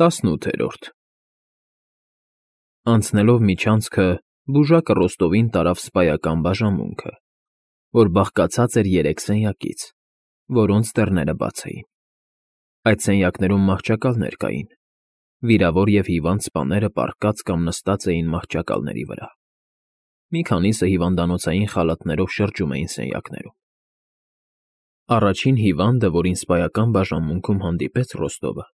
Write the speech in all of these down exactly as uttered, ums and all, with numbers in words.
Տասնութերորդ Անցնելով միջանցքը բուժակը Ռոստովին տարավ սպայական բաժանմունքը, որ բաղկացած էր երեք սենյակից, որոնց դռները բաց էին. այդ սենյակներում մահճակալներ կային, վիրավոր և հիվանդ սպաները պառկած կամ նստած էին մահճակալների վրա, մի քանիսը հիվանդանոցային խալաթներով շրջում էին սենյակներում. Առաջին հիվանդը, որին սպայական բաժանմունքում հանդիպեց Ռոստովը,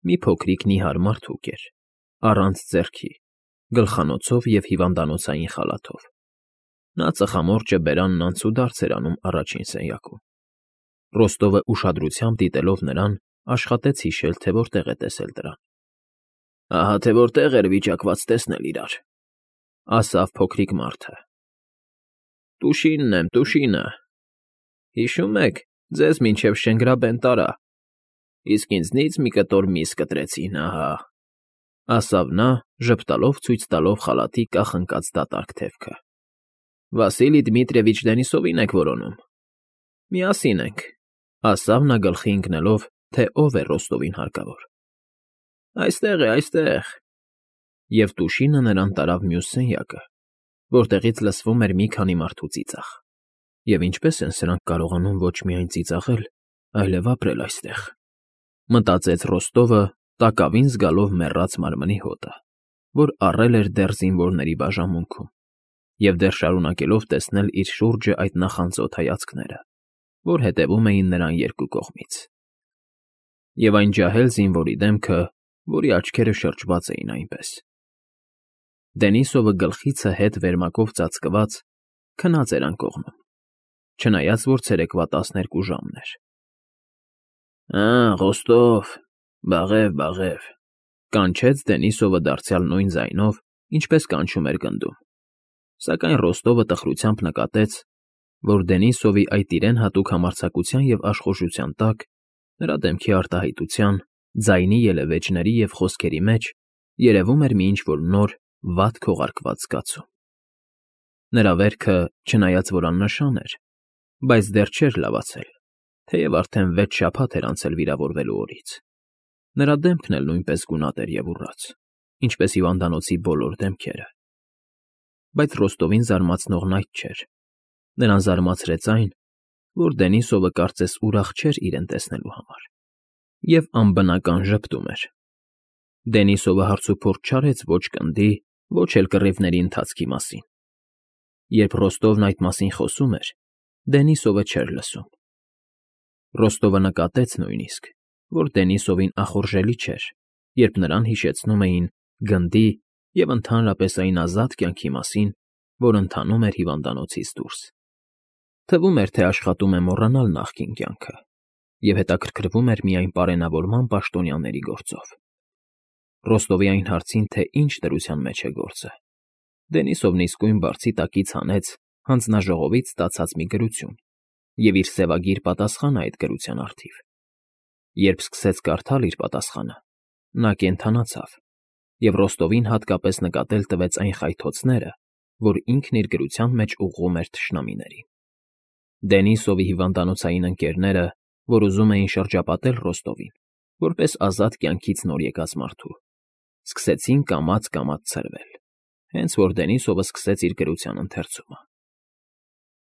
մի փոքրիկ նիհար մարդուկ էր, առանց ձեռքի, գլխանոցով և հիվանդանոցային խալաթով. նա ծխամորճը բերանն անցուդարձ էր անում առաջին սենյակում. Ռոստովը ուշադրությամբ դիտելով նրան, աշխատեց հիշել, թե որտեղ է տեսել դրան։ ֊ Ահա թե որտեղ էր վիճակված տեսնել իրար, ֊ ասավ փոքրիկ մարդը։ ֊ Տուշինն եմ, Տուշինը… Հիշո՞ւմ եք, ձեզ մինչև Շենգրաբեն տարա, իսկ ինձնից մի կտոր միս կտրեցին, ահա, ֊ ասավ նա, ժպտալով ցույց տալով խալաթի կախ ընկած դատարկ թևքը։ ֊ Վասիլի Դմիտրիևիչ Դենիսովին եք որոնում։ Միասին ենք, ֊ ասավ նա գլխի ընկնելով, թե ով է Ռոստովին հարկավոր։ ֊ Այստեղ է, այստեղ… Եվ Տուշինը նրան տարավ մյուս սենյակը, որտեղից լսվում էր մի քանի մարդու ծիծաղ։ Եվ ինչպե՞ս են սրանք կարողանում ոչ միայն ծիծաղել, այլև ապրել այստեղ, ֊ մտածեց Ռոստովը, տակավին զգալով մեռած մարմնի հոտը, որ առել էր դեռ զինվորների բաժանմունքում, և դեռ շարունակելով տեսնել իր շուրջը այդ նախանձոտ հայացքները, որ հետևում էին նրան երկու կողմից, և այն ջահել զինվորի դեմքը, որի աչքերը շրջված էին այնպես։ Դենիսովը գլխիցը հետ վերմակով ծածկված քնած էր անկողնում, չնայած որ ցերեկվա տասներկու ժամն էր։ ֊ Ա՜, Ռոստով, բաղև, բաղև, ֊ կանչեց Դենիսովը դարձյալ նույն ձայնով, ինչպես կանչում էր գնդում, սակայն Ռոստովը տխրությամբ նկատեց, որ Դենիսովի այդ իրեն հատուկ համարձակության և աշխուժության տակ նրա դեմքի արտահայտության, ձայնի ելևէջների և խոսքերի մեջ երևում էր մի ինչ֊որ նոր, վատ քողարկված զգացում։ Նրա վերքը, չնայած որ աննշան էր, բայց դեռ չէր լավացել, թեև արդեն վեց շաբաթ էր անցել վիրավորվելու օրից։ Նրա դեմքն էլ նույնպես գունատ էր և ուռած, ինչպես հիվանդանոցի բոլոր դեմքերը։ Բայց Ռոստովին զարմացնողն այդ չէր. նրան զարմացրեց այն, որ Դենիսովը կարծես ուրախ չէր իրեն տեսնելու համար, և անբնական ժպտում էր։ Դենիսովը հարցուփորձ չարեց ոչ գնդի, ոչ էլ կռիվների ընթացքի մասին։ Երբ Ռոստովն այդ մասին խոսում էր, Դենիսովը չէր լսում։ Ռոստովը նկատեց նույնիսկ, որ Դենիսովին ախորժելի չէր, երբ նրան հիշեցնում էին գնդի և ընդհանրապես այն ազատ կյանքի մասին, որ ընթանում էր հիվանդանոցից դուրս։ Թվում էր, թե աշխատում է մոռանալ նախկին կյանքը և հետաքրքրվում էր միայն պարենավորման պաշտոնյաների գործով։ Ռոստովի այն հարցին, թե ինչ դրության մեջ է գործը, Դենիսովն իսկույն բարձի տակից հանեց հանձնաժողովից ստացած մի գրություն և իր սևագիր պատասխանը այդ գրության առթիվ։ Երբ սկսեց կարդալ իր պատասխանը, նա կենդանացավ, և Ռոստովին հատկապես նկատել տվեց այն խայթոցները, որ ինքն իր գրության մեջ ուղղում էր թշնամիներին։ Դենիսովի հիվանդանոցային ընկերները, որ ուզում էին շրջապատել Ռոստովին, որպես ազատ կյանքից նոր եկած մարդու, սկսեցին կամաց֊կամաց ցրվել, հենց որ Դենիսովը սկսեց իր գրության ընթերցումը։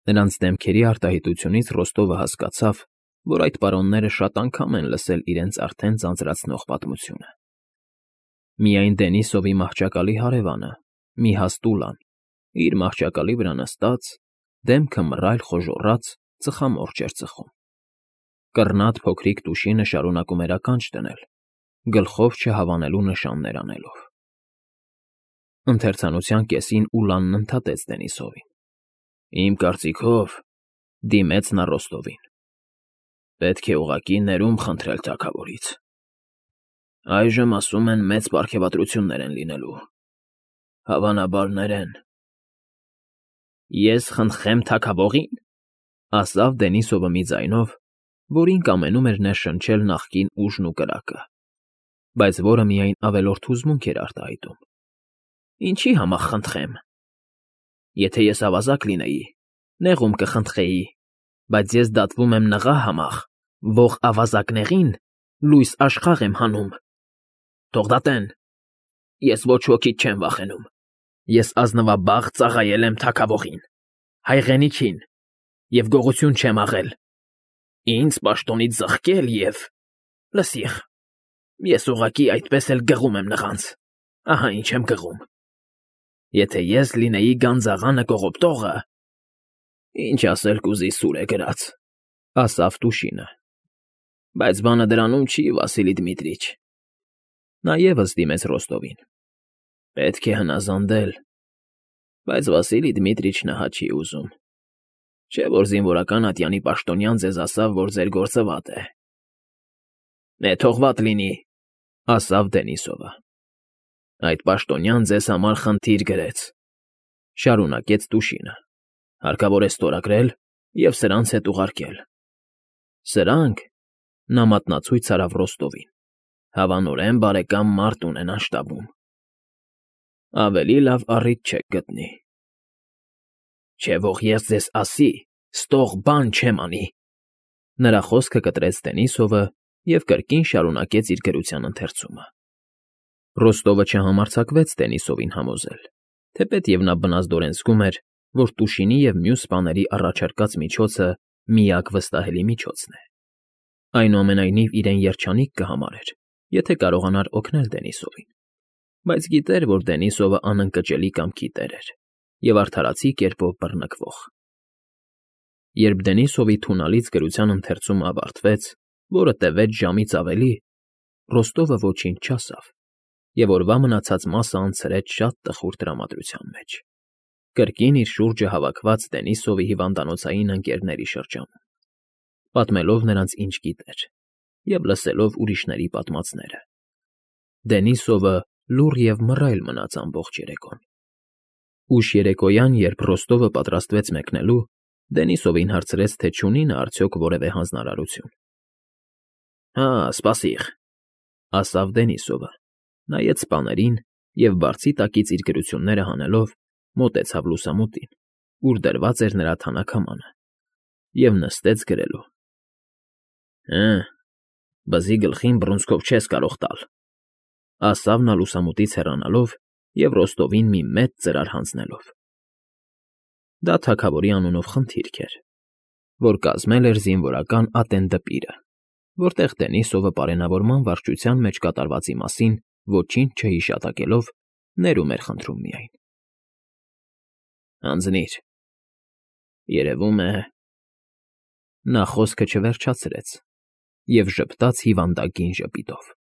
Նրանց դեմքերի արտահայտությունից Ռոստովը հասկացավ, որ այդ պարոնները շատ անգամ են լսել իրենց արդեն ձանձրացնող պատմությունը։ Միայն Դենիսովի մահճակալի հարևանը, մի հաստ ուլան, իր մահճակալի վրա նստած, դեմքը մռայլ խոժոռած, ծխամորճ էր ծխում։ Կռնատ փոքրիկ Տուշինը շարունակում էր ականջ դնել, գլխով չհավանելու նշաններ անելով։ Ընթերցանության կեսին Ուլանն ընդհատեց Դենիսովին. ֊ Իմ կարծիքով, ֊ դիմեց նա Ռոստովին, ֊ պետք է ուղղակի ներում խնդրել թագավորից։ Այժմ, ասում են, մեծ պարգևատրություններ են լինելու, հավանաբար ներեն։ ֊ Ես խնդրեմ թագավո՞ղին, ֊ ասավ Դենիսովը մի ձայնով, որին կամենում էր ներշնչել նախկին ուժն ու կրակը, բայց որը միայն ավելորդ հուզմունք էր արտահայտում։ ֊ Ինչի՞ համա խնդրեմ։ Եթե ես ավազակ լինեի, նեղում կխնդրեի, բայց ես դատվում եմ նղա համախ, ող ավազակներին լույս աշխաղ եմ հանում։ թող դատեն։ Ես ոչ ոքից չեմ վախենում։ Ես ազնվաբաղ ծառայել եմ թագավորին, հայրենիքին և գողություն չեմ աղել։ Ինձ պաշտոնից զղկել և… Լսիր, ես ուղղակի այդպես էլ գղում եմ նրանց, ահա ինչ եմ գղում։ Եթե ես լինեի գանձաղանը կողոպտողը… Ինչ ասել կուզի սուր է գրած, ասավ Տուշինը։ Բայց բանը դրանում չի, Վասիլի Դմիտրիչ։ Նա ևս դիմեց Ռոստովին։ Պետք է հնազանդել, բայց Վասիլի Դմիտրիչն ահա չի ուզում։ Չէ՞ որ զինվորական ատյանի պաշտոնյան ձեզ ասավ, որ ձեր գործը վատ է։ Է, թող վատ լինի, ասավ Դենիսովը։ Այդ պաշտոնյան ձեզ համար խնդիր գրեց, շարունակեց Տուշինը, հարկավոր է ստորագրել և սրանց հետ ուղարկել։ Սրանք, նա մատնացույց արավ Ռոստովին, հավանորեն բարեկամ մարդ ունենան շտաբում։ Ավելի լավ առիթ չեք գտնի։ Չէ որ ես ձեզ ասի, ստող բան չեմ անի։ Նրա խոսքը կտրեց Դենիսովը և կրկին շարունակեց իր գրության ընթերցումը։ Ռոստովը չհամարձակվեց Դենիսովին համոզել, թեպետև նա բնազդորեն զգում էր, որ Տուշինի և մյուս սպաների առաջարկած միջոցը միակ վստահելի միջոցն է։ Այնուամենայնիվ իրեն երջանիկ կհամարեր, եթե կարողանար օգնել Դենիսովին, բայց գիտեր, որ Դենիսովը անընկճելի կամքի տեր էր և արդարացի կերպով բռնկվող։ Երբ Դենիսովի թունալից գրության ընթերցումը ավարտվեց, որը տևեց ժամից ավելի, Ռոստովը ոչինչ չասավ և օրվա մնացած մասը անցրեց շատ տխուր տրամադրության մեջ, կրկին իր շուրջը հավաքված Դենիսովի հիվանդանոցային ընկերների շրջանում, պատմելով նրանց ինչ գիտեր և լսելով ուրիշների պատմածները։ Դենիսովը լուռ և մռայլ մնաց ամբողջ երեկոն։ Ուշ երեկոյան, երբ Ռոստովը պատրաստվեց մեկնելու, Դենիսովին հարցրեց, թե չունի նա արդյոք որևէ հանձնարարություն։ Հա, սպասիր, ասավ Դենիսովը, նայեց սպաներին և բարձի տակից իր գրությունները հանելով մոտեցավ լուսամուտին, ուր դրված էր նրա թանաքամանը, և նստեց գրելու։ Հը, բզի գլխին բռունցքով չես կարող տալ, ասավ նա լուսամուտից հեռանալով և Ռոստովին մի մեծ ծրար հանձնելով։ Դա թագավորի անունով խնդիրք էր, որ կազմել էր զինվորական ատեն դպիրը, որտեղ Դենիսովը պարենավորման վարչության մեջ կատարվածի մասին ոչինչ չհիշատակելով ներում էր խնդրում միայն։ Հանձնիր, երևում է… Նա խոսքը չվերջացրեց և ժպտաց հիվանդագին ժպիտով։